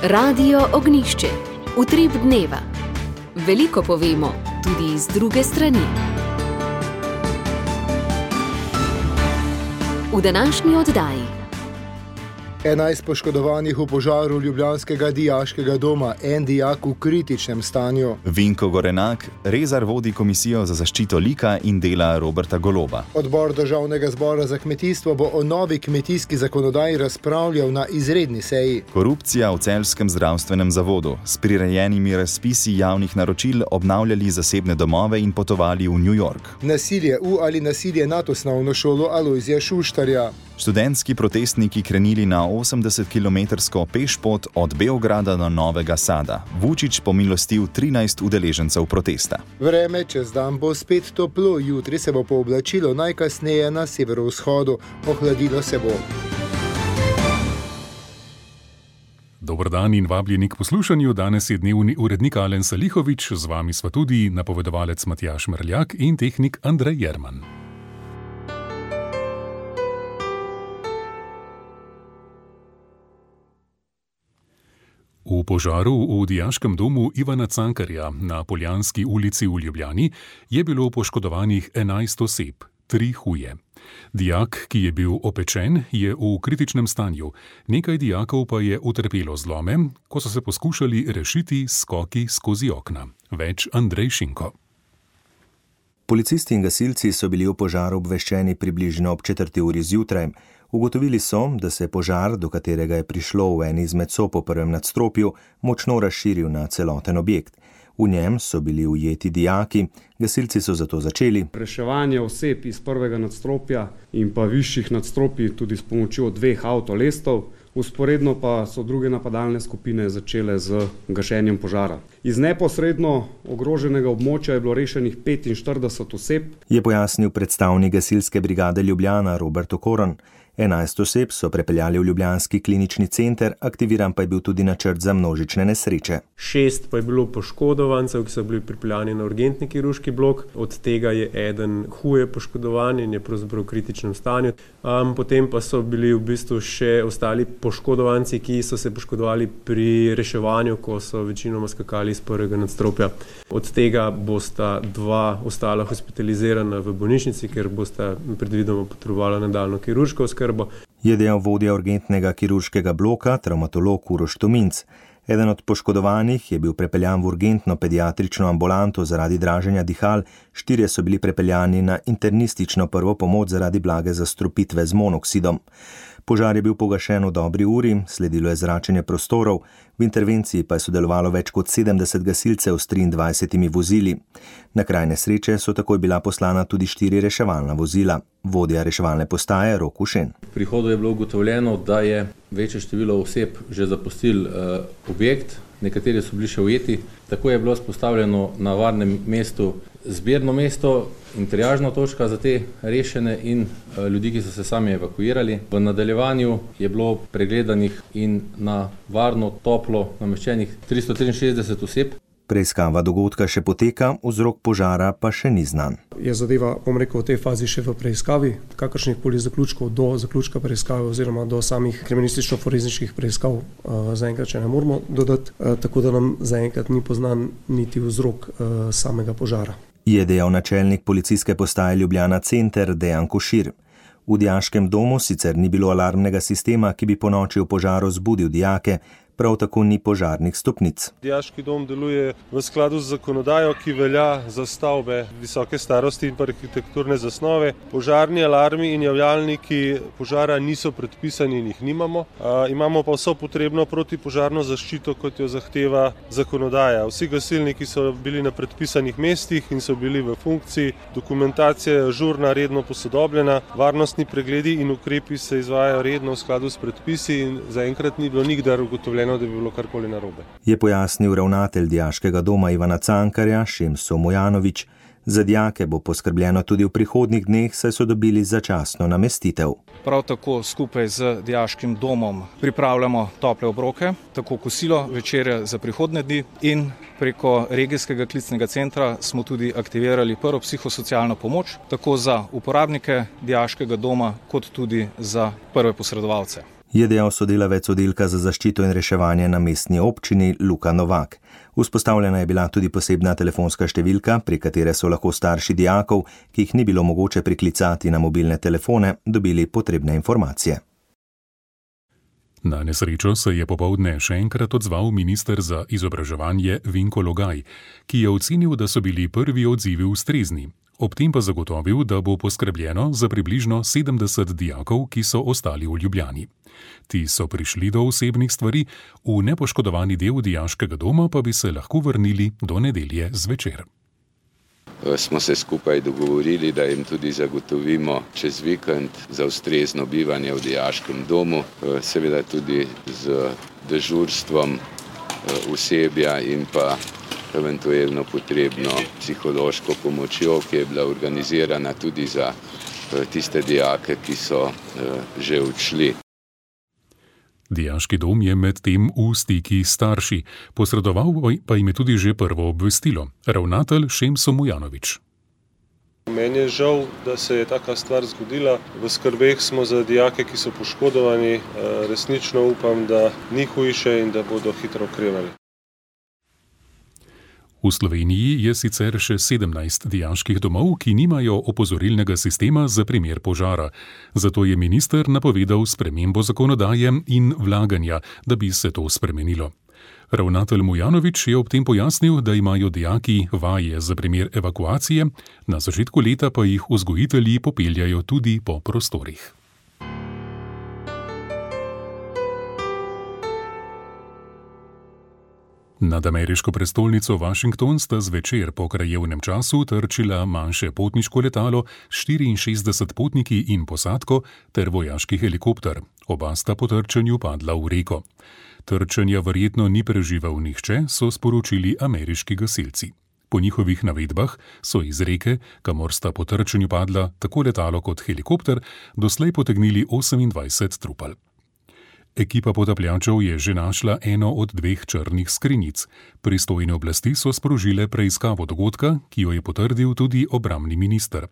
Radio Ognjišče. Utrip dneva. Veliko povemo, tudi iz druge strani. V današnji oddaji. 11 poškodovanih v požaru ljubljanskega dijaškega doma, en dijak v kritičnem stanju. Vinko Gorenak, Rezar vodi komisijo za zaščito lika in dela Roberta Goloba. Odbor Državnega zbora za kmetijstvo bo o novi kmetijski zakonodaji razpravljal na izredni seji. Korupcija v celjskem zdravstvenem zavodu. S prirejenimi razpisi javnih naročil obnavljali zasebne domove in potovali v New York. Nasilje v ali nasilje nad osnovno šolo Alojzija Šuštarja. Študentski protestniki krenili na 80-kilometrsko pešpot od Beograda do Novega Sada. Vučić pomilostil 13 udeležencev protesta. Vreme čez dan bo spet toplo, jutri se bo pooblačilo najkasneje na severovzhodu, ohladilo se bo. Dober dan in vabljeni k poslušanju. Danes je dnevni urednik Alen Salihović, z vami sva tudi napovedovalec Matjaž Merljak in tehnik Andrej Jerman. V požaru v dijaškem domu Ivana Cankarja na Poljanski ulici v Ljubljani je bilo poškodovanih 11 oseb, 3 huje. Dijak, ki je bil opečen, je v kritičnem stanju, nekaj dijakov pa je utrpelo zlome, ko so se poskušali rešiti skoki skozi okna. Več Andrej Šinko. Policisti in gasilci so bili o požaru obveščeni približno ob 4. uri zjutraj. Ugotovili so, da se je požar, do katerega je prišlo v eni izmed sob v prvem nadstropju, močno razširil na celoten objekt. V njem so bili ujeti dijaki, gasilci so zato začeli reševanje oseb iz prvega nadstropja in pa višjih nadstropij tudi s pomočjo 2 avtolestov. Vzporedno pa so druge napadalne skupine začele z gašenjem požara. Iz neposredno ogroženega območja je bilo rešenih 45 oseb. Je pojasnil predstavnik gasilske brigade Ljubljana Robert Okoron. 11 oseb so prepeljali v ljubljanski klinični center, aktiviran pa je bil tudi načrt za množične nesreče. 6 pa je bilo poškodovancev, ki so bili pripeljani na urgentni kirurški blok. Od tega je eden huje poškodovan in je pravzaprav v kritičnem stanju. Potem pa so bili v bistvu še ostali poškodovanci, ki so se poškodovali pri reševanju, ko so večinoma skakali iz prvega nadstropja. Od tega bosta 2 ostala hospitalizirana v bolnišnici, ker bosta predvidoma potrebovala nadaljnjo kirurško oskrbo. Je dejal vodja urgentnega kirurškega bloka, travmatolog Uroš Tominc. Eden od poškodovanih je bil prepeljan v urgentno pediatrično ambulanto zaradi draženja dihal, 4 so bili prepeljani na internistično prvo pomoč zaradi blage zastrupitve z monoksidom. Požar je bil pogašen v dobri uri, sledilo je zračenje prostorov, v intervenciji pa je sodelovalo več kot 70 gasilcev s 23 vozili. Na kraj nesreče so takoj bila poslana tudi 4 reševalna vozila. Vodja reševalne postaje Rok Ušen. V prihodu je bilo ugotovljeno, da je večje število oseb že zapustilo objekt, nekateri so bili še ujeti. Tako je bilo vzpostavljeno na varnem mestu zbirno mesto in triažna točka za te rešene in ljudi, ki so se sami evakuirali. V nadaljevanju je bilo pregledanih in na varno, toplo nameščenih 363 oseb. Preiskava dogodka še poteka, vzrok požara pa še ni znan. Je zadeva, v tej fazi še v preiskavi, kakršnih koli zaključkov do zaključka preiskave oziroma do samih kriminalistično-forenzičnih preiskav zaenkrat še ne moramo dodati, tako da nam zaenkrat ni poznan niti vzrok samega požara. Je dejal načelnik policijske postaje Ljubljana Center Dejan Košir. V dijaškem domu sicer ni bilo alarmnega sistema, ki bi ponoči v požaru zbudil dijake, prav tako ni požarnih stopnic. Dijaški dom deluje v skladu z zakonodajo, ki velja za stavbe visoke starosti in arhitekturne zasnove. Požarni alarmi in javljalniki požara niso predpisani in jih nimamo. Imamo pa vso potrebno protipožarno zaščito, kot jo zahteva zakonodaja. Vsi gasilniki so bili na predpisanih mestih in so bili v funkciji. Dokumentacija je ažurna, redno posodobljena. Varnostni pregledi in ukrepi se izvajajo redno v skladu s predpisi in zaenkrat ni bilo nikdar ugotovljeno, da bi bilo karkoli narobe. Je pojasnil ravnatelj dijaškega doma Ivana Cankarja Šemso Mojanović. Za dijake bo poskrbljeno tudi v prihodnjih dneh, saj so dobili začasno namestitev. Prav tako skupaj z dijaškim domom pripravljamo tople obroke, tako kosilo, večerje za prihodnje dni in preko regijskega klicnega centra smo tudi aktivirali prvo psihosocialno pomoč, tako za uporabnike dijaškega doma, kot tudi za prve posredovalce. Je dejal sodelavec oddelka za zaščito in reševanje na mestni občini Luka Novak. Vzpostavljena je bila tudi posebna telefonska številka, pri katere so lahko starši dijakov, ki jih ni bilo mogoče priklicati na mobilne telefone, dobili potrebne informacije. Na nesrečo se je popoldne še enkrat odzval minister za izobraževanje Vinko Logaj, ki je ocenil, da so bili prvi odzivi ustrezni. Ob tem pa zagotovil, da bo poskrbljeno za približno 70 dijakov, ki so ostali v Ljubljani. Ti so prišli do osebnih stvari, v nepoškodovani del dijaškega doma pa bi se lahko vrnili do nedelje zvečer. Smo se skupaj dogovorili, da jim tudi zagotovimo čez vikend za ustrezno bivanje v dijaškem domu, seveda tudi z dežurstvom osebja in pa eventualno potrebno psihološko pomočjo, ki je bila organizirana tudi za tiste dijake, ki so že odšli. Dijaški dom je med tem v stiki s starši, posredoval pa jim je tudi že prvo obvestilo. Ravnatelj Šemso Mujanović. Meni je žal, da se je taka stvar zgodila. V skrbeh smo za dijake, ki so poškodovani. Resnično upam, da ni hujše in da bodo hitro okrevali. V Sloveniji je sicer še 17 dijaških domov, ki nimajo opozorilnega sistema za primer požara. Zato je minister napovedal spremembo zakonodaje in vlaganja, da bi se to spremenilo. Ravnatelj Mujanović je ob tem pojasnil, da imajo dijaki vaje za primer evakuacije, na začetku leta pa jih vzgojitelji popeljajo tudi po prostorih. Nad ameriško prestolnico Washington sta zvečer po krajevnem času trčila manjše potniško letalo s 64 potniki in posadko ter vojaški helikopter. Oba sta po trčenju padla v reko. Trčenja verjetno ni preživel nihče, so sporočili ameriški gasilci. Po njihovih navedbah so iz reke, kamor sta po trčenju padla tako letalo kot helikopter, doslej potegnili 28 trupel. Ekipa potapljačev je že našla eno od 2 črnih skrinjic. Pristojne oblasti so sprožile preiskavo dogodka, ki jo je potrdil tudi obrambni minister.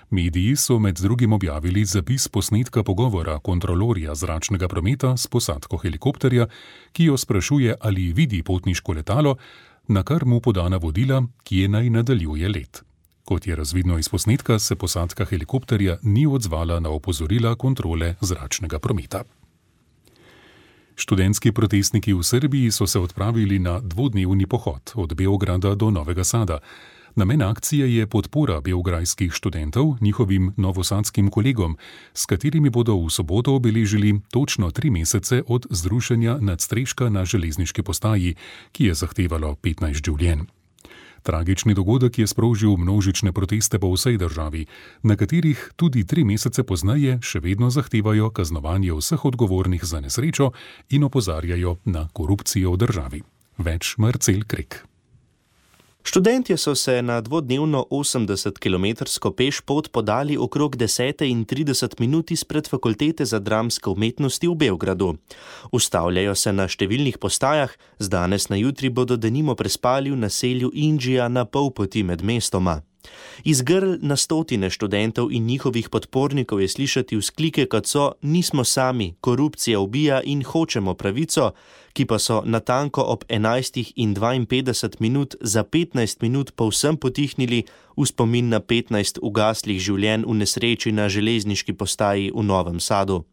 Mediji so med drugim objavili zapis posnetka pogovora kontrolorja zračnega prometa s posadko helikopterja, ki jo sprašuje, ali vidi potniško letalo, na kar mu poda navodila, kje naj nadaljuje let. Kot je razvidno iz posnetka, se posadka helikopterja ni odzvala na opozorila kontrole zračnega prometa. Študentski protestniki v Srbiji so se odpravili na dvodnevni pohod od Beograda do Novega Sada. Namen akcije je podpora beograjskih študentov njihovim novosadskim kolegom, s katerimi bodo v soboto obeležili točno 3 mesece od zrušenja nadstreška na železniški postaji, ki je zahtevalo 15 življenj. Tragični dogodek je sprožil množične proteste po vsej državi, na katerih tudi 3 mesece pozneje še vedno zahtevajo kaznovanje vseh odgovornih za nesrečo in opozarjajo na korupcijo v državi. Več Marcel Krek. Študentje so se na dvodnevno 80-kilometrsko pešpot podali okrog 10:30 izpred Fakultete za dramske umetnosti v Beogradu. Ustavljajo se na številnih postajah, z danes na jutri bodo denimo prespali v naselju Indžija na pol poti med mestoma. Iz grl na stotine študentov in njihovih podpornikov je slišati vzklike, kot so "Nismo sami, korupcija ubija in hočemo pravico", ki pa so natanko ob 11:52 za 15 minut povsem potihnili v spomin na 15 ugaslih življenj v nesreči na železniški postaji v Novem Sadu.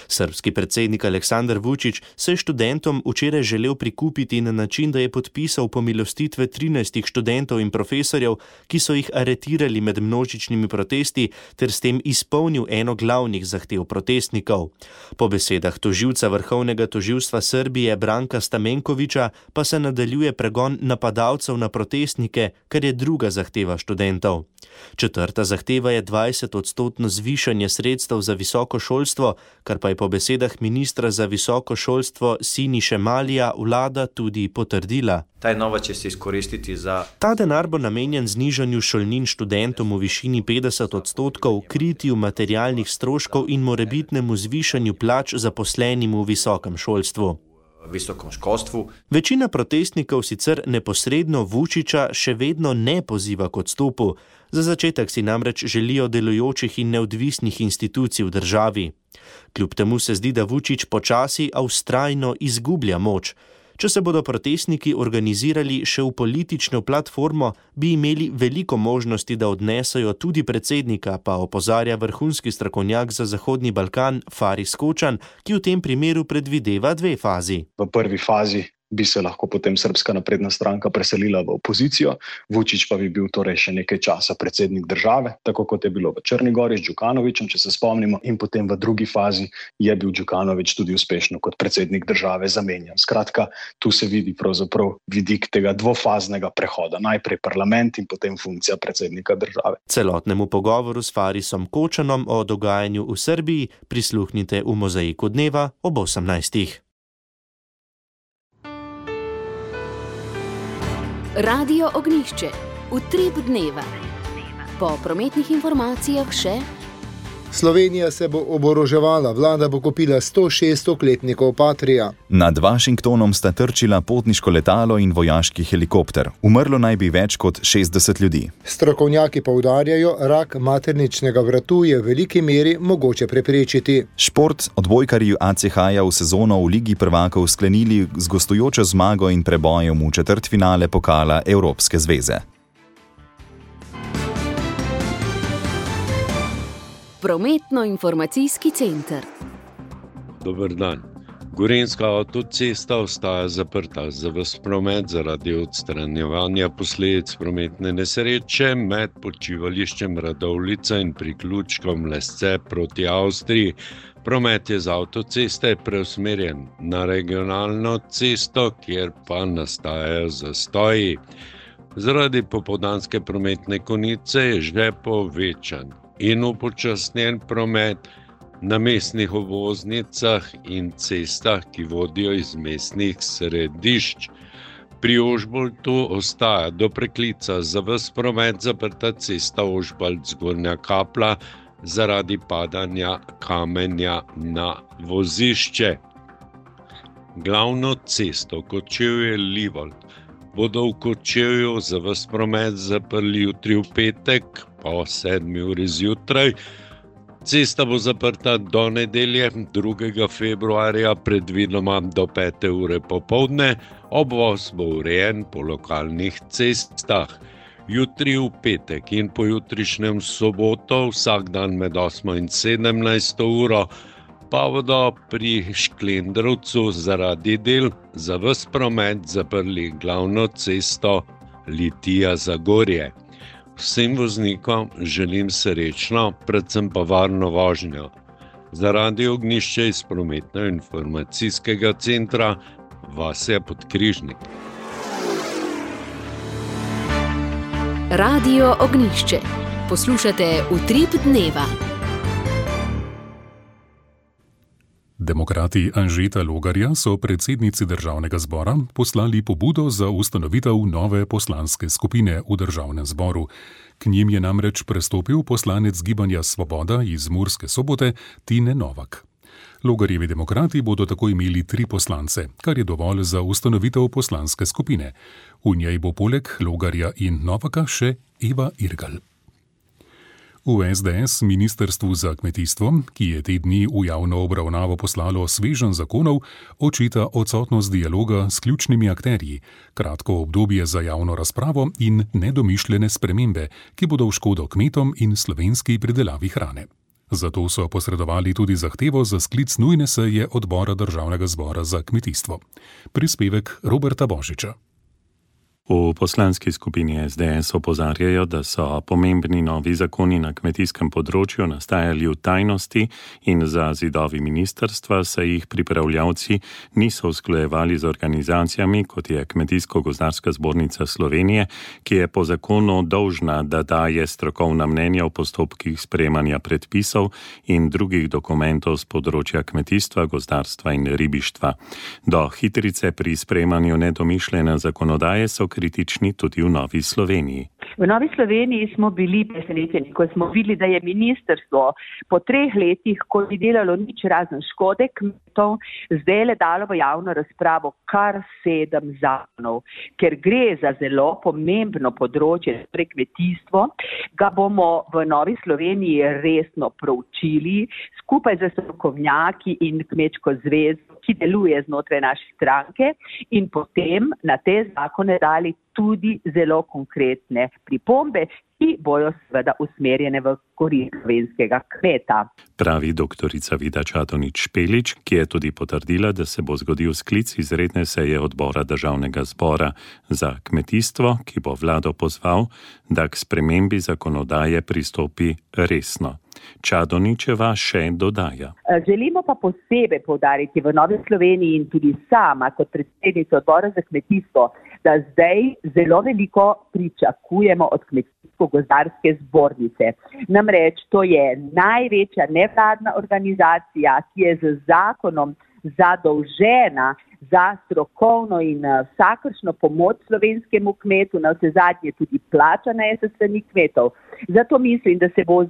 Srbski predsednik Aleksandar Vučić se je študentom včeraj želel prikupiti na način, da je podpisal pomilostitve 13 študentov in profesorjev, ki so jih aretirali med množičnimi protesti, ter s tem izpolnil eno glavnih zahtev protestnikov. Po besedah tožilca Vrhovnega tožilstva Srbije Branka Stamenkovića pa se nadaljuje pregon napadalcev na protestnike, kar je druga zahteva študentov. Četrta zahteva je 20% zvišanje sredstev za visoko šolstvo, kar pa je po besedah ministra za visoko šolstvo Siniše Malija vlada tudi potrdila. Ta denar bo namenjen znižanju šolnin študentom v višini 50%, kritju materialnih stroškov in morebitnemu zvišanju plač zaposlenim v visokem šolstvu. visokom školstvu. Večina protestnikov sicer neposredno Vučića še vedno ne poziva k odstopu. Za začetek si namreč želijo delujočih in neodvisnih institucij v državi. Kljub temu se zdi, da Vučić počasi, a vztrajno izgublja moč. Če se bodo protestniki organizirali še v politično platformo, bi imeli veliko možnosti, da odnesajo tudi predsednika, pa opozarja vrhunski strokovnjak za Zahodni Balkan Faris Kočan, ki v tem primeru predvideva 2 fazi. V prvi fazi bi se lahko potem Srpska napredna stranka preselila v opozicijo, Vučić pa bi bil torej še nekaj časa predsednik države, tako kot je bilo v Črni Gori s Đukanovićem, če se spomnimo, in potem v drugi fazi je bil Đukanović tudi uspešno kot predsednik države zamenjan. Skratka, tu se vidi pravzaprav vidik tega dvofaznega prehoda, najprej parlament in potem funkcija predsednika države. Celotnemu pogovoru s Farisom Kočanom o dogajanju v Srbiji prisluhnite v Mozaiku dneva ob 18. Radio Ognjišče, utrip dneva. Po prometnih informacijah še: Slovenija se bo oboroževala, vlada bo kupila 106 oklepnikov Patria. Nad Washingtonom sta trčila potniško letalo in vojaški helikopter. Umrlo naj bi več kot 60 ljudi. Strokovnjaki poudarjajo, rak materničnega vratu je v veliki meri mogoče preprečiti. Šport, odbojkarji ACH-ja v sezono v Ligi prvakov sklenili z gostujočo zmago in prebojem v četrtfinale pokala Evropske zveze. Prometno-informacijski center. Dober dan. Gorenjska avtocesta ostaja zaprta za ves promet zaradi odstranjevanja posledic prometne nesreče med počivališčem Radovljica in priključkom Lesce proti Avstriji. Promet je z avtoceste preusmerjen na regionalno cesto, kjer pa nastajajo zastoji. Zaradi popoldanske prometne konice je že povečan in upočasnjen promet na mestnih obvoznicah in cestah, ki vodijo iz mestnih središč. Pri Ožbaltu ostaja do preklica za ves promet zaprta cesta Ožbalt-Zgornja Kapla zaradi padanja kamenja na vozišče. Glavno cesto Kočevje-Livold bodo v Kočevju za ves promet zaprli jutri v petek po 7 uri zjutraj. Cesta bo zaprta do nedelje 2. februarja, predvidoma do 5. ure popoldne. Obvoz bo urejen po lokalnih cestah. Jutri v petek in pojutrišnjem soboto, vsak dan med 8 in 17 uro, pa bodo pri Šklendrovcu zaradi del za ves promet zaprli glavno cesto Litija-Zagorje. Vsem voznikom želim srečno, predvsem pa varno vožnjo. Za Radio Ognjišče iz prometno-informacijskega centra Vasja Podkrižnik. Radio Ognjišče. Poslušate utrip dneva. Demokrati Anžeta Logarja so predsednici Državnega zbora poslali pobudo za ustanovitev nove poslanske skupine v Državnem zboru. K njim je namreč prestopil poslanec Gibanja Svoboda iz Murske Sobote Tine Novak. Logarjevi demokrati bodo tako imeli 3 poslance, kar je dovolj za ustanovitev poslanske skupine. V njej bo poleg Logarja in Novaka še Eva Irgl. V SDS Ministrstvu za kmetijstvo, ki je te dni v javno obravnavo poslalo sveženj zakonov, očita odsotnost dialoga s ključnimi akterji, kratko obdobje za javno razpravo in nedomišljene spremembe, ki bodo v škodo kmetom in slovenski pridelavi hrane. Zato so posredovali tudi zahtevo za sklic nujne seje odbora Državnega zbora za kmetijstvo. Prispevek Roberta Božiča. V poslanski skupini SDS opozarjajo, da so pomembni novi zakoni na kmetijskem področju nastajali v tajnosti in za zidovi ministrstva se jih pripravljavci niso usklajevali z organizacijami, kot je Kmetijsko-gozdarska zbornica Slovenije, ki je po zakonu dolžna, da daje strokovna mnenja v postopkih sprejemanja predpisov in drugih dokumentov z področja kmetijstva, gozdarstva in ribištva. Do hitrice pri sprejemanju nedomišljene zakonodaje so kritični tudi v Novi Sloveniji. V Novi Sloveniji smo bili presenečeni, ko smo videli, da je ministrstvo po 3 letih, ko ni delalo nič razen škode kmetov, zdaj le dalo v javno razpravo kar 7 zakonov. Ker gre za zelo pomembno področje, torej kmetijstvo, ga bomo v Novi Sloveniji resno proučili skupaj z strokovnjaki in Kmečko zvezo, ki deluje znotraj naše stranke, in potem na te zakone dali tudi zelo konkretne pripombe, ki bojo seveda usmerjene v korist slovenskega kmeta. Pravi doktorica Vida Čadonič-Špelič, ki je tudi potrdila, da se bo zgodil sklic izredne seje odbora Državnega zbora za kmetijstvo, ki bo vlado pozval, da k spremembi zakonodaje pristopi resno. Čadoničeva še dodaja. Želimo pa posebej poudariti v Novi Sloveniji in tudi sama kot predsednica odbora za kmetijstvo, da zdaj zelo veliko pričakujemo od Kmetijsko-gozdarske zbornice. Namreč to je največja nevladna organizacija, ki je z zakonom zadolžena za strokovno in vsakršno pomoč slovenskemu kmetu, na vse zadnje tudi plačana je s strani kmetov. Zato mislim, da se bo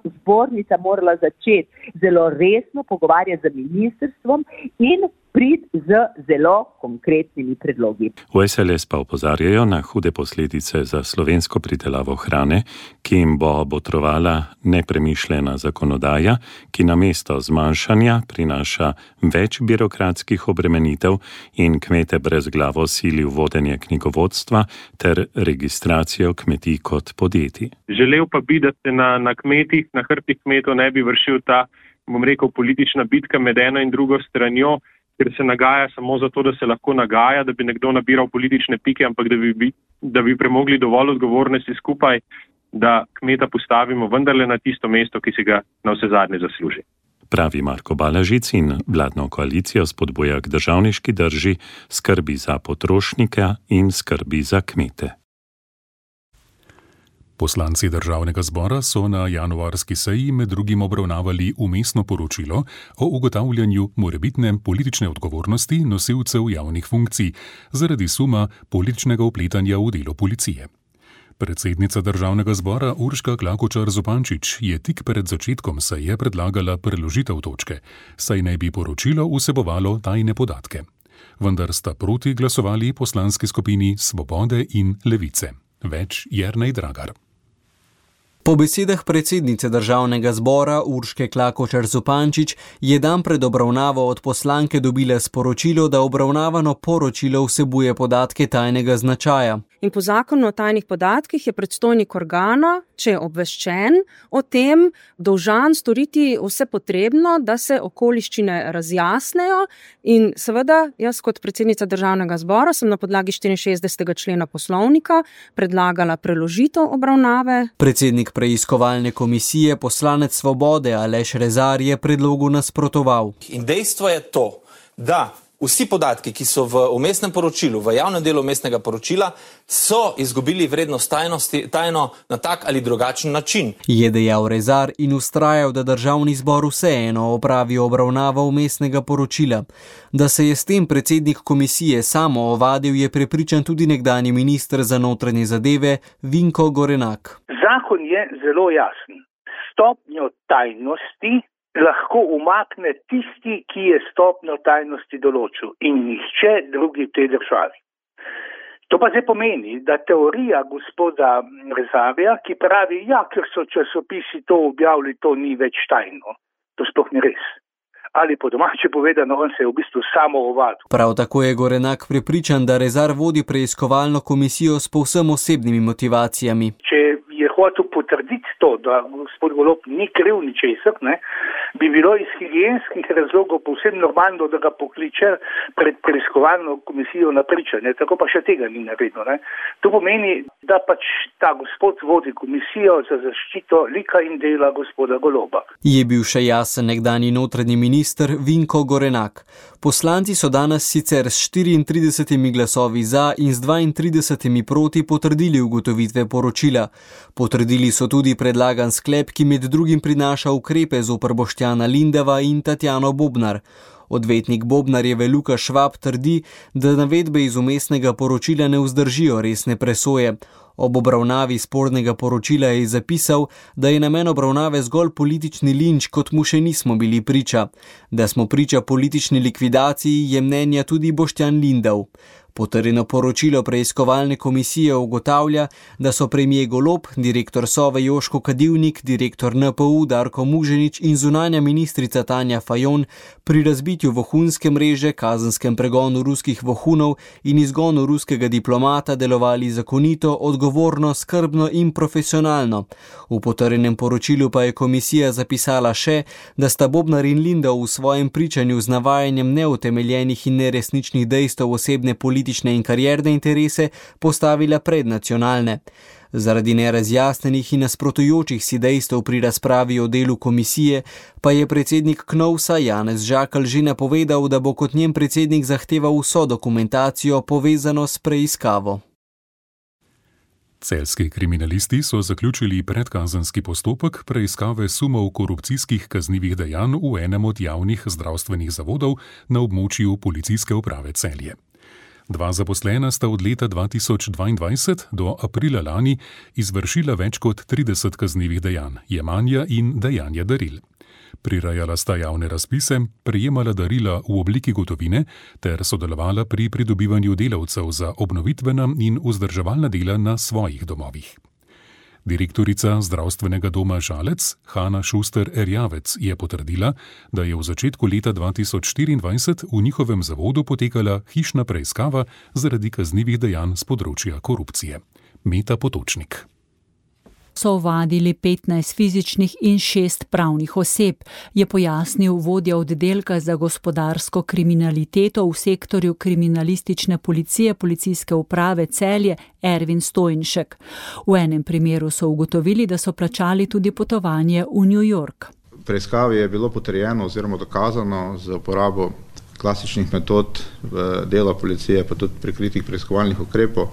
zbornica morala začeti zelo resno pogovarjati z ministrstvom in priti z zelo konkretnimi predlogi. V SLS pa opozarjajo na hude posledice za slovensko pridelavo hrane, ki jim bo botrovala nepremišljena zakonodaja, ki namesto zmanjšanja prinaša več birokratskih obremenitev in kmete brezglavo sili v vodenje knjigovodstva ter registracijo kmetij kot podjetij. Želel pa bi, da se na kmetih, na hrbtih kmetov ne bi vršil ta, politična bitka med eno in drugo stranjo, ker se nagaja samo zato, da se lahko nagaja, da bi nekdo nabiral politične pike, ampak da bi premogli dovolj odgovornosti skupaj, da kmeta postavimo vendarle na tisto mesto, ki si ga na vse zadnje zasluži. Pravi Marko Balažic in vladno koalicijo spodbuja k državniški drži, skrbi za potrošnika in skrbi za kmete. Poslanci Državnega zbora so na januarski seji med drugim obravnavali vmesno poročilo o ugotavljanju morebitne politične odgovornosti nosilcev javnih funkcij zaradi suma političnega vpletanja v delo policije. Predsednica Državnega zbora Urška Klakočar Zupančič je tik pred začetkom seje predlagala preložitev točke, saj naj bi poročilo vsebovalo tajne podatke. Vendar sta proti glasovali poslanski skupini Svobode in Levice. Več Jernej Dragar. Po besedah predsednice Državnega zbora Urške Klakočar Zupančič je dan pred obravnavo od poslanke dobila sporočilo, da obravnavano poročilo vsebuje podatke tajnega značaja. In po zakonu o tajnih podatkih je predstojnik organa, če je obveščen o tem, dolžan storiti vse potrebno, da se okoliščine razjasnejo. In seveda, jaz kot predsednica Državnega zbora sem na podlagi 64. člena poslovnika predlagala preložitev obravnave. Predsednik preiskovalne komisije, poslanec Svobode Aleš Rezar, je predlogu nasprotoval. In dejstvo je to, da vsi podatki, ki so v vmesnem poročilu, v javnem delu vmesnega poročila, so izgubili vrednost tajno na tak ali drugačen način. Je dejal Rezar in vztrajal, da Državni zbor vseeno opravi obravnavo vmesnega poročila. Da se je s tem predsednik komisije samo ovadil, je prepričan tudi nekdanji minister za notranje zadeve Vinko Gorenak. Zakon je zelo jasen. Stopnjo tajnosti lahko umakne tisti, ki je stopnjo tajnosti določil in nihče drugi v tej državi. To pa zdaj pomeni, da teorija gospoda Rezarja, ki pravi, ker so časopisi to objavili, to ni več tajno. To sploh ni res. Ali po domače povedano, on se je v bistvu samo ovadil. Prav tako je Gorenak prepričan, da Rezar vodi preiskovalno komisijo s povsem osebnimi motivacijami. Če je hotel potrditi to, da gospod Golob ni kriv ničesar, bi bilo iz higienskih razlogov povsem normalno, da ga pokliče pred preiskovalno komisijo na pričanje. Tako pa še tega ni naredil. To pomeni, da pač ta gospod vodi komisijo za zaščito lika in dela gospoda Goloba. Je bil še jasen nekdanji notranji minister Vinko Gorenak. Poslanci so danes sicer s 34 glasovi za in s 32 proti potrdili ugotovitve poročila. Potrdili so tudi predlagan sklep, ki med drugim prinaša ukrepe zoper Boštjana Lindava in Tatjano Bobnar. Odvetnik Bobnarjeve Luka Švab trdi, da navedbe iz vmesnega poročila ne vzdržijo resne presoje. Ob obravnavi spornega poročila je zapisal, da je namen obravnave zgolj politični linč, kot mu še nismo bili priča. Da smo priča politični likvidaciji, je mnenja tudi Boštjan Lindav. Potrjeno poročilo preiskovalne komisije ugotavlja, da so premier Golob, direktor Sove Joško Kadivnik, direktor NPU Darko Muženič in zunanja ministrica Tanja Fajon pri razbitju vohunske mreže, kazenskem pregonu ruskih vohunov in izgonu ruskega diplomata delovali zakonito, odgovorno, skrbno in profesionalno. V potrjenem poročilu pa je komisija zapisala še, da sta Bobnar in Lindav v svojem pričanju z navajanjem neutemeljenih in neresničnih dejstev osebne politične in karierne interese postavila pred nacionalne. Zaradi nerazjasnenih in nasprotujočih si dejstev pri razpravi o delu komisije pa je predsednik KNOVS-a Janez Žakelj že napovedal, da bo kot njen predsednik zahteval vso dokumentacijo povezano s preiskavo. Celjski kriminalisti so zaključili predkazenski postopek preiskave sumov korupcijskih kaznivih dejanj v enem od javnih zdravstvenih zavodov na območju Policijske uprave Celje. 2 zaposlena sta od leta 2022 do aprila lani izvršila več kot 30 kaznivih dejanj, jemanja in dajanja daril. Prirajala sta javne razpise, prejemala darila v obliki gotovine ter sodelovala pri pridobivanju delavcev za obnovitvena in vzdrževalna dela na svojih domovih. Direktorica zdravstvenega doma Žalec, Hanna Šuster-Erjavec, je potrdila, da je v začetku leta 2024 v njihovem zavodu potekala hišna preiskava zaradi kaznivih dejanj z področja korupcije. Meta Potočnik. So ovadili 15 fizičnih in 6 pravnih oseb, je pojasnil vodja oddelka za gospodarsko kriminaliteto v sektorju kriminalistične policije Policijske uprave Celje Ervin Stojnšek. V enem primeru so ugotovili, da so plačali tudi potovanje v New York. V preiskavi je bilo potrjeno oziroma dokazano z uporabo klasičnih metod dela policije, pa tudi prikritih preiskovalnih ukrepov,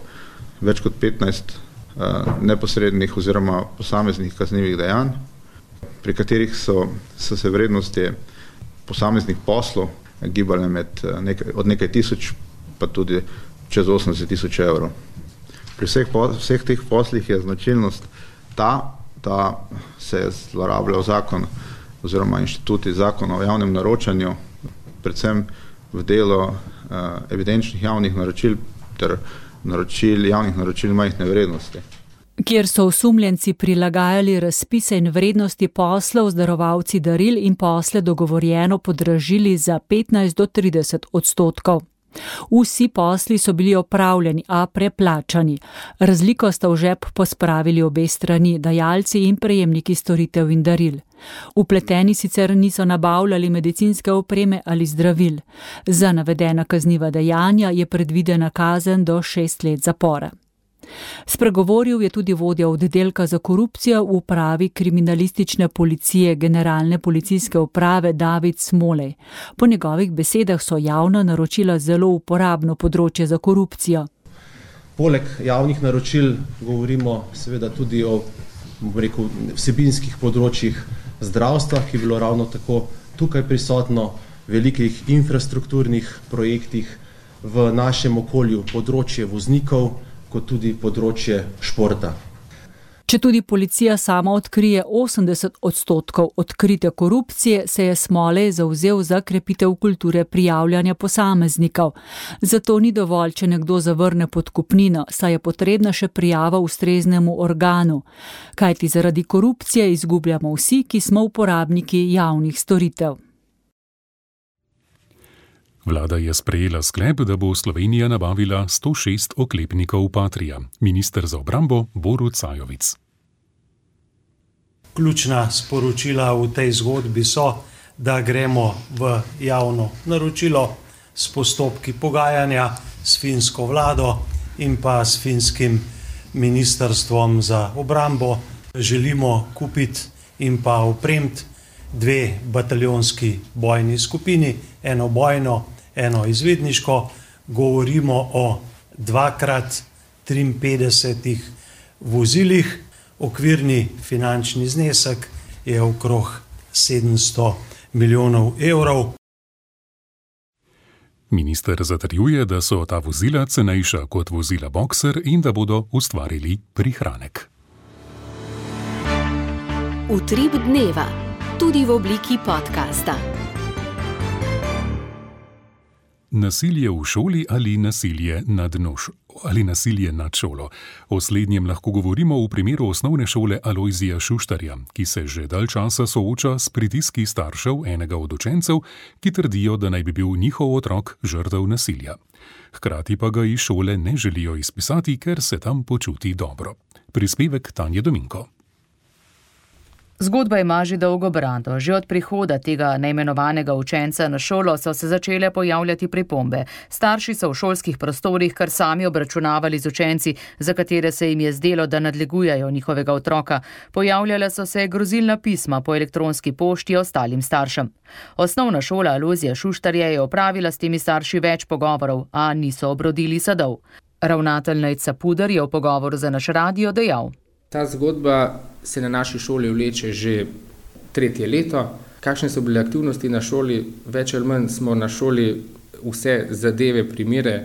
več kot 15 neposrednih oziroma posameznih kaznivih dejanj, pri katerih so se vrednosti posameznih poslov gibale od nekaj tisoč pa tudi čez 80 tisoč evrov. Pri vseh teh poslih je značilnost da se je zlorabljal zakon oziroma inštituti zakona o javnem naročanju, predvsem v delu evidenčnih javnih naročil ter javnih naročil majhne vrednosti. Kjer so osumljenci prilagajali razpise in vrednosti poslov z darovalci daril in posle dogovorjeno podražili za 15 do 30%. Vsi posli so bili opravljeni, a preplačani. Razliko sta v žep pospravili obe strani, dajalci in prejemniki storitev in daril. Vpleteni sicer niso nabavljali medicinske opreme ali zdravil. Za navedena kazniva dejanja je predvidena kazen do 6 let zapora. Spregovoril je tudi vodja oddelka za korupcijo v upravi kriminalistične policije Generalne policijske uprave David Smolej. Po njegovih besedah so javna naročila zelo uporabno področje za korupcijo. Poleg javnih naročil govorimo seveda tudi o vsebinskih področjih zdravstva, ki je bilo ravno tako tukaj prisotno, velikih infrastrukturnih projektih, v našem okolju področje voznikov, kot tudi področje športa. Če tudi policija sama odkrije 80% odkrite korupcije, se je Smolej zavzel za krepitev kulture prijavljanja posameznikov. Zato ni dovolj, če nekdo zavrne podkupnino, saj je potrebna še prijava ustreznemu organu. Kajti zaradi korupcije izgubljamo vsi, ki smo uporabniki javnih storitev. Vlada je sprejela sklep, da bo Slovenija nabavila 106 oklepnikov Patria. Minister za obrambo Borut Sajovic. Ključna sporočila v tej zgodbi so, da gremo v javno naročilo s postopki pogajanja s finsko vlado in pa s finskim ministrstvom za obrambo. Želimo kupiti in pa opremiti 2 bataljonski bojni skupini, eno bojno, eno izvedniško. Govorimo o 2x53 vozilih. Okvirni finančni znesek je okrog 700 milijonov evrov. Minister zatrjuje, da so ta vozila cenejša kot vozila Boxer in da bodo ustvarili prihranek. Utrip dneva, tudi v obliki podcasta. Nasilje v šoli ali nasilje nad šolo. O slednjem lahko govorimo v primeru osnovne šole Alojzija Šuštarja, ki se že dalj časa sooča s pritiski staršev enega od učencev, ki trdijo, da naj bi bil njihov otrok žrtev nasilja. Hkrati pa ga iz šole ne želijo izpisati, ker se tam počuti dobro. Prispevek Tanje Dominko. Zgodba ima že dolgo brado. Že od prihoda tega neimenovanega učenca na šolo so se začele pojavljati pripombe. Starši so v šolskih prostorih kar sami obračunavali z učenci, za katere se jim je zdelo, da nadlegujejo njihovega otroka. Pojavljala so se grozilna pisma po elektronski pošti ostalim staršem. Osnovna šola Alojzija Šuštarja je opravila s temi starši več pogovorov, a niso obrodili sadov. Ravnatelj Nejc Capuder je v pogovoru za naš radio dejal: Ta zgodba se na naši šoli vleče že 3. leto. Kakšne so bile aktivnosti na šoli? Več ali manj smo na šoli vse zadeve, primere,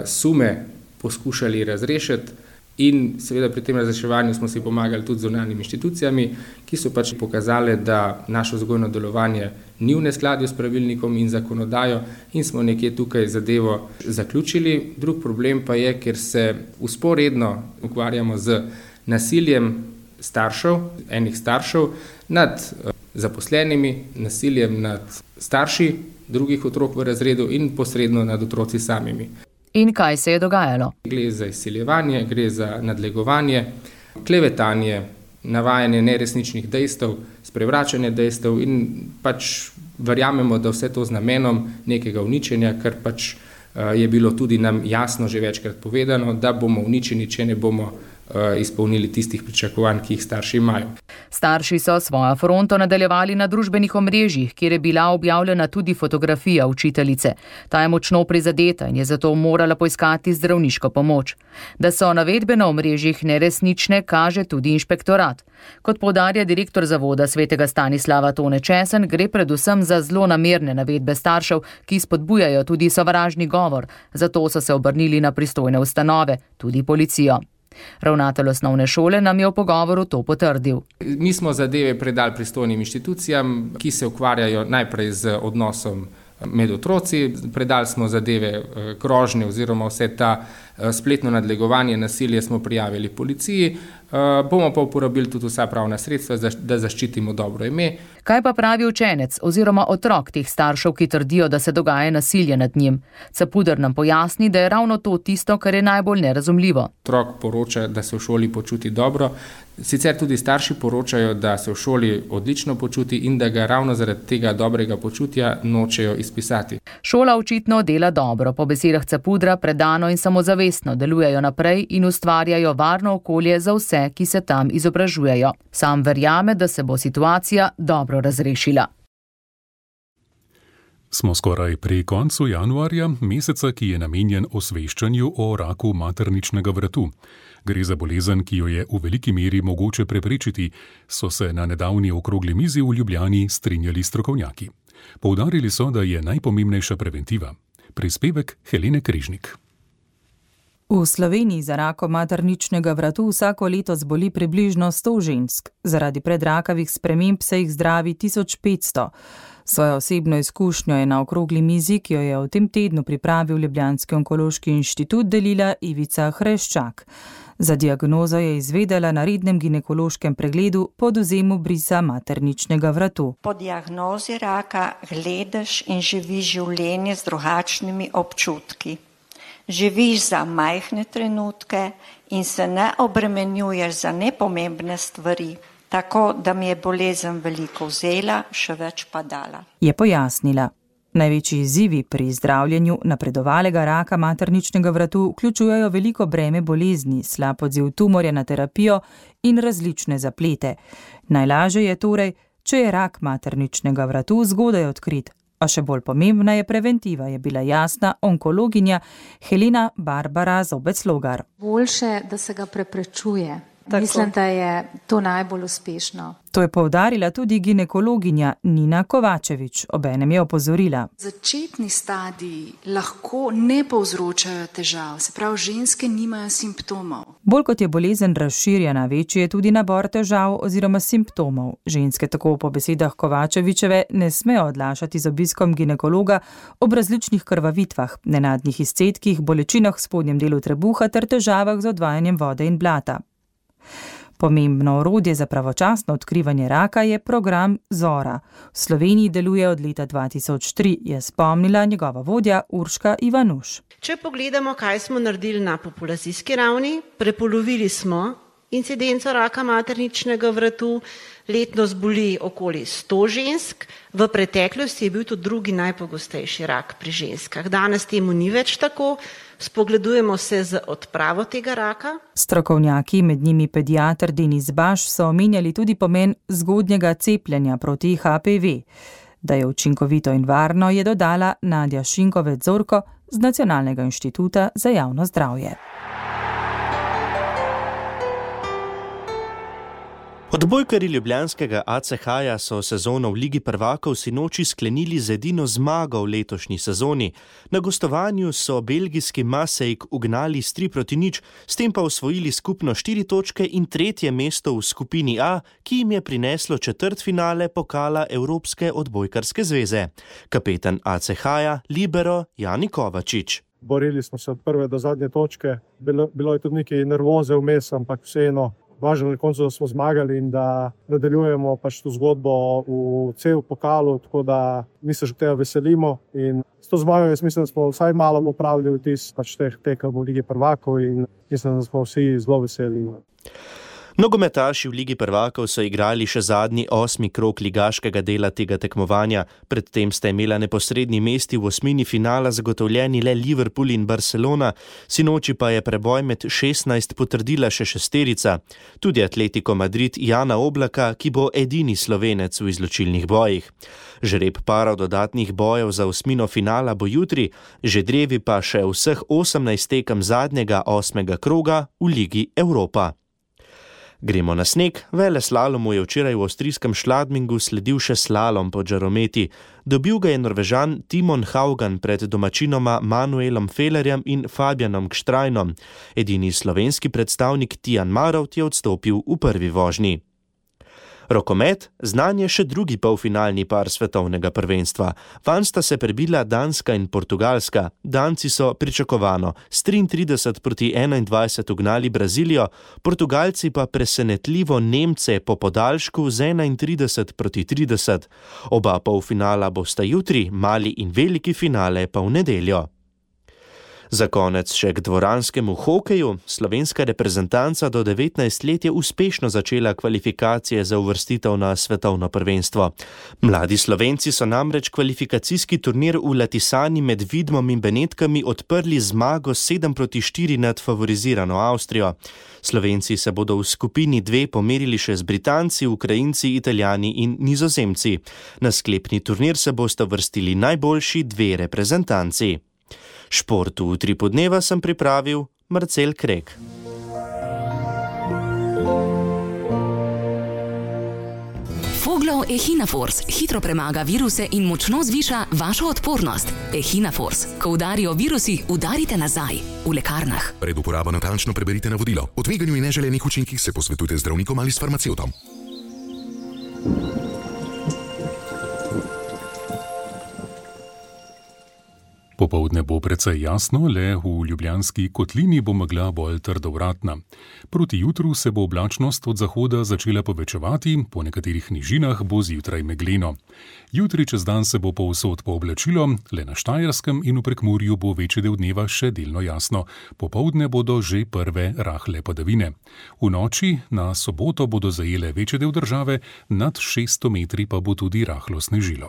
sume poskušali razrešiti in seveda pri tem razreševanju smo si pomagali tudi z zunanjimi inštitucijami, ki so pač pokazale, da naše vzgojno delovanje ni v neskladju s pravilnikom in zakonodajo in smo nekje tukaj zadevo zaključili. Drug problem pa je, ker se vzporedno ukvarjamo z nasiljem enih staršev nad zaposlenimi, nasiljem nad starši drugih otrok v razredu in posredno nad otroci samimi. In kaj se je dogajalo? Gre za izsiljevanje, gre za nadlegovanje, klevetanje, navajanje neresničnih dejstev, sprevračanje dejstev in pač verjamemo, da vse to z namenom nekega uničenja, ker pač je bilo tudi nam jasno že večkrat povedano, da bomo uničeni, če ne bomo izpolnili tistih pričakovanj, ki jih starši imajo. Starši so svojo fronto nadaljevali na družbenih omrežjih, kjer je bila objavljena tudi fotografija učiteljice. Ta je močno prizadeta in je zato morala poiskati zdravniško pomoč. Da so navedbe na omrežjih neresnične, kaže tudi inšpektorat. Kot poudarja direktor zavoda svetega Stanislava Tone Česen, gre predvsem za zlonamerne navedbe staršev, ki spodbujajo tudi sovražni govor. Zato so se obrnili na pristojne ustanove, tudi policijo. Ravnatelj osnovne šole nam je v pogovoru to potrdil. Mi smo zadeve predali pristojnim inštitucijam, ki se ukvarjajo najprej z odnosom med otroci, predali smo zadeve grožnje oziroma vse ta spletno nadlegovanje, nasilje smo prijavili policiji, bomo pa uporabili tudi vsa pravna sredstva, da zaščitimo dobro ime. Kaj pa pravi učenec oziroma otrok teh staršev, ki trdijo, da se dogaja nasilje nad njim? Capuder nam pojasni, da je ravno to tisto, kar je najbolj nerazumljivo. Otrok poroča, da se v šoli počuti dobro, sicer tudi starši poročajo, da se v šoli odlično počuti in da ga ravno zaradi tega dobrega počutja nočejo izpisati. Šola očitno dela dobro, po besedah Capudra predano in samozavestno delujejo naprej in ustvarjajo varno okolje za vse, ki se tam izobražujejo. Sam verjame, da se bo situacija dobro razrešila. Smo skoraj pri koncu januarja, meseca, ki je namenjen osveščanju o raku materničnega vratu. Gre za bolezen, ki jo je v veliki meri mogoče preprečiti, so se na nedavni okrogli mizi v Ljubljani strinjali strokovnjaki. Poudarili so, da je najpomembnejša preventiva. Prispevek Helene Križnik. V Sloveniji za rakom materničnega vratu vsako leto zboli približno 100 žensk. Zaradi predrakavih sprememb se jih zdravi 1500. Svojo osebno izkušnjo je na okrogli mizi, ki jo je v tem tednu pripravil Ljubljanski onkološki inštitut, delila Ivica Hreščak. Za diagnozo je izvedela na rednem ginekološkem pregledu po odvzemu brisa materničnega vratu. Po diagnozi raka gledaš in živiš življenje z drugačnimi občutki. Živiš za majhne trenutke in se ne obremenjuješ za nepomembne stvari. Tako, da mi je bolezen veliko vzela, še več pa dala. Je pojasnila. Največji izzivi pri zdravljenju napredovalega raka materničnega vratu vključujejo veliko breme bolezni, slab odziv tumorja na terapijo in različne zaplete. Najlažje je torej, če je rak materničnega vratu zgodaj odkrit. A še bolj pomembna je preventiva, je bila jasna onkologinja Helena Barbara Zobec-Logar. Boljše, da se ga preprečuje. Mislim, da je to najbolj uspešno. To je poudarila tudi ginekologinja Nina Kovačevič, obenem je opozorila. Začetni stadiji lahko ne povzročajo težav, se pravi, ženske nimajo simptomov. Bolj kot je bolezen razširjena, večji je tudi nabor težav oziroma simptomov. Ženske tako po besedah Kovačevičeve ne smejo odlašati z obiskom ginekologa ob različnih krvavitvah, nenadnih izcedkih, bolečinah v spodnjem delu trebuha ter težavah z odvajanjem vode in blata. Pomembno orodje za pravočasno odkrivanje raka je program Zora. V Sloveniji deluje od leta 2003, je spomnila njegova vodja Urška Ivanuš. Če pogledamo, kaj smo naredili na populacijski ravni, prepolovili smo incidenco raka materničnega vratu, letno zboli okoli 100 žensk, v preteklosti je bil to drugi najpogostejši rak pri ženskah. Danes temu ni več tako. Spogledujemo se z odpravo tega raka. Strokovnjaki, med njimi pediater Denis Baš, so omenjali tudi pomen zgodnjega cepljenja proti HPV. Da je učinkovito in varno, je dodala Nadja Šinkovec-Zorko z Nacionalnega inštituta za javno zdravje. Odbojkarji ljubljanskega ACH-ja so sezono v Ligi prvakov sinoči sklenili z edino zmago v letošnji sezoni. Na gostovanju so belgijski Marseille ugnali s 3-0, s tem pa osvojili skupno 4 točke in 3. mesto v skupini A, ki jim je prineslo četrtfinale pokala Evropske odbojkarske zveze. Kapetan ACH-ja, libero Jani Kovačič. Borili smo se od prve do zadnje točke. Bilo je tudi nekaj nervoze vmes, ampak vseeno. Važno na koncu, da smo zmagali in da nadaljujemo pač to zgodbo v cel pokalu, tako da mi se že tega veselimo. In s to zmago jaz mislim, da smo vsaj malo opravili vtis pač teh tekem v Ligi prvakov in mislim, da smo vsi zelo veseli. Nogometaši v Ligi prvakov so igrali še zadnji 8. krog ligaškega dela tega tekmovanja. Predtem sta imela neposredni mesti v osmini finala zagotovljeni le Liverpool in Barcelona, sinoči pa je preboj med 16 potrdila še šesterica. Tudi Atletico Madrid Jana Oblaka, ki bo edini Slovenec v izločilnih bojih. Žreb parov dodatnih bojev za osmino finala bo jutri, že drevi pa še vseh 18 tekem zadnjega 8. kroga v Ligi Evropa. Gremo na sneg. Veleslalomu je včeraj v avstrijskem Schladmingu sledil še slalom po žarometi. Dobil ga je Norvežan Timon Haugan pred domačinoma Manuelom Fellerjem in Fabianom Gštrajnom. Edini slovenski predstavnik Tijan Marovt je odstopil v prvi vožnji. Rokomet, znan je še drugi polfinalni par svetovnega prvenstva. Vanj sta se prebila Danska in Portugalska. Danci so pričakovano s 33-21 ugnali Brazilijo, Portugalci pa presenetljivo Nemce po podaljšku z 31-30. Oba polfinala bosta jutri, mali in veliki finale pa v nedeljo. Za konec še k dvoranskemu hokeju. Slovenska reprezentanca do 19 let je uspešno začela kvalifikacije za uvrstitev na svetovno prvenstvo. Mladi Slovenci so namreč kvalifikacijski turnir v Latisani med Vidmom in Benetkami odprli zmago 7-4 nad favorizirano Avstrijo. Slovenci se bodo v skupini 2 pomerili še z Britanci, Ukrajinci, Italijani in Nizozemci. Na sklepni turnir se bosta vrstili najboljši 2 reprezentanci. Šport v Utripu dneva sem pripravil Marcel Krek. Foglov Echinafors hitro premaga viruse in močno zviša vašo odpornost. Echinafors. Ko udarijo virusi, udarite nazaj. V lekarnah. Pred uporabo natančno preberite navodilo. O tveganju in neželenih učinkih se posvetujte z zdravnikom ali s farmacevtom. Popoldne bo precej jasno, le v Ljubljanski kotlini bo megla bolj trdovratna. Proti jutru se bo oblačnost od zahoda začela povečevati, po nekaterih nižinah bo zjutraj megleno. Jutri čez dan se bo povsod pooblačilo, le na Štajerskem in v Prekmurju bo večji del dneva še delno jasno. Popoldne bodo že prve rahle padavine. V noči na soboto bodo zajele večji del države, nad 600 metri pa bo tudi rahlo snežilo.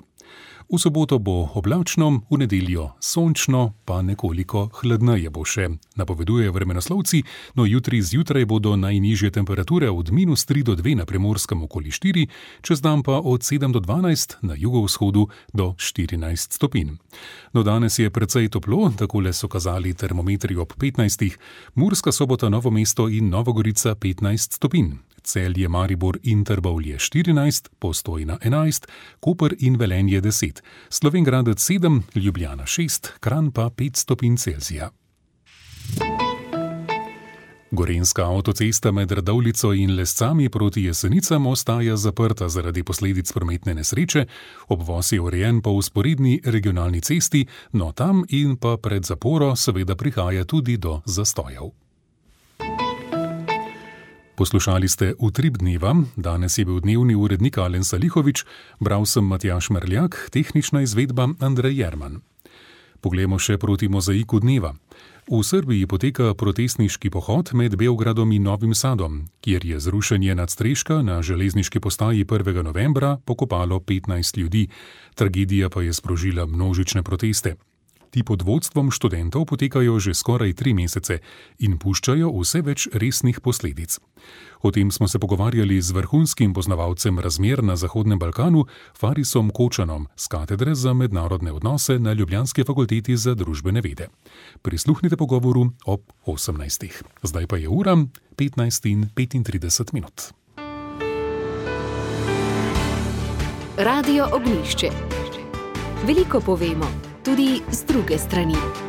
V soboto bo oblačno, v nedeljo sončno, pa nekoliko hladneje bo še. Napovedujejo vremenoslovci, no jutri zjutraj bodo najnižje temperature od -3 do 2 na Primorskem okoli 4, čez dan pa od 7 do 12, na jugovzhodu do 14 stopinj. No danes je precej toplo, takole so kazali termometri ob 15, Murska Sobota, Novo mesto in Novogorica 15 stopinj. Celje, Maribor in Trbovlje 14, Postojna 11, Koper in Velenje 10, Slovenj Gradec 7, Ljubljana 6, Kranj pa 5 stopinj Celzija. Gorenjska avtocesta med Radovljico in Lescami proti Jesenicam ostaja zaprta zaradi posledic prometne nesreče, obvoz je urejen po vzporedni regionalni cesti, no tam in pa pred zaporo seveda prihaja tudi do zastojev. Poslušali ste Utrip dneva, danes je bil dnevni urednik Alen Salihovič, bral sem Matjaž Merljak, tehnična izvedba Andrej Jerman. Poglejmo še proti mozaiku dneva. V Srbiji poteka protestniški pohod med Beogradom in Novim Sadom, kjer je zrušenje nadstreška na železniški postaji 1. novembra pokopalo 15 ljudi, tragedija pa je sprožila množične proteste. Ti pod vodstvom študentov potekajo že skoraj 3 mesece in puščajo vse več resnih posledic. O tem smo se pogovarjali z vrhunskim poznavalcem razmer na Zahodnem Balkanu, Farisom Kočanom, z katedre za mednarodne odnose na Ljubljanski fakulteti za družbene vede. Prisluhnite pogovoru ob 18. Zdaj pa je ura 15:35. Radio Ognjišče. Veliko povemo, tudi z druge strani.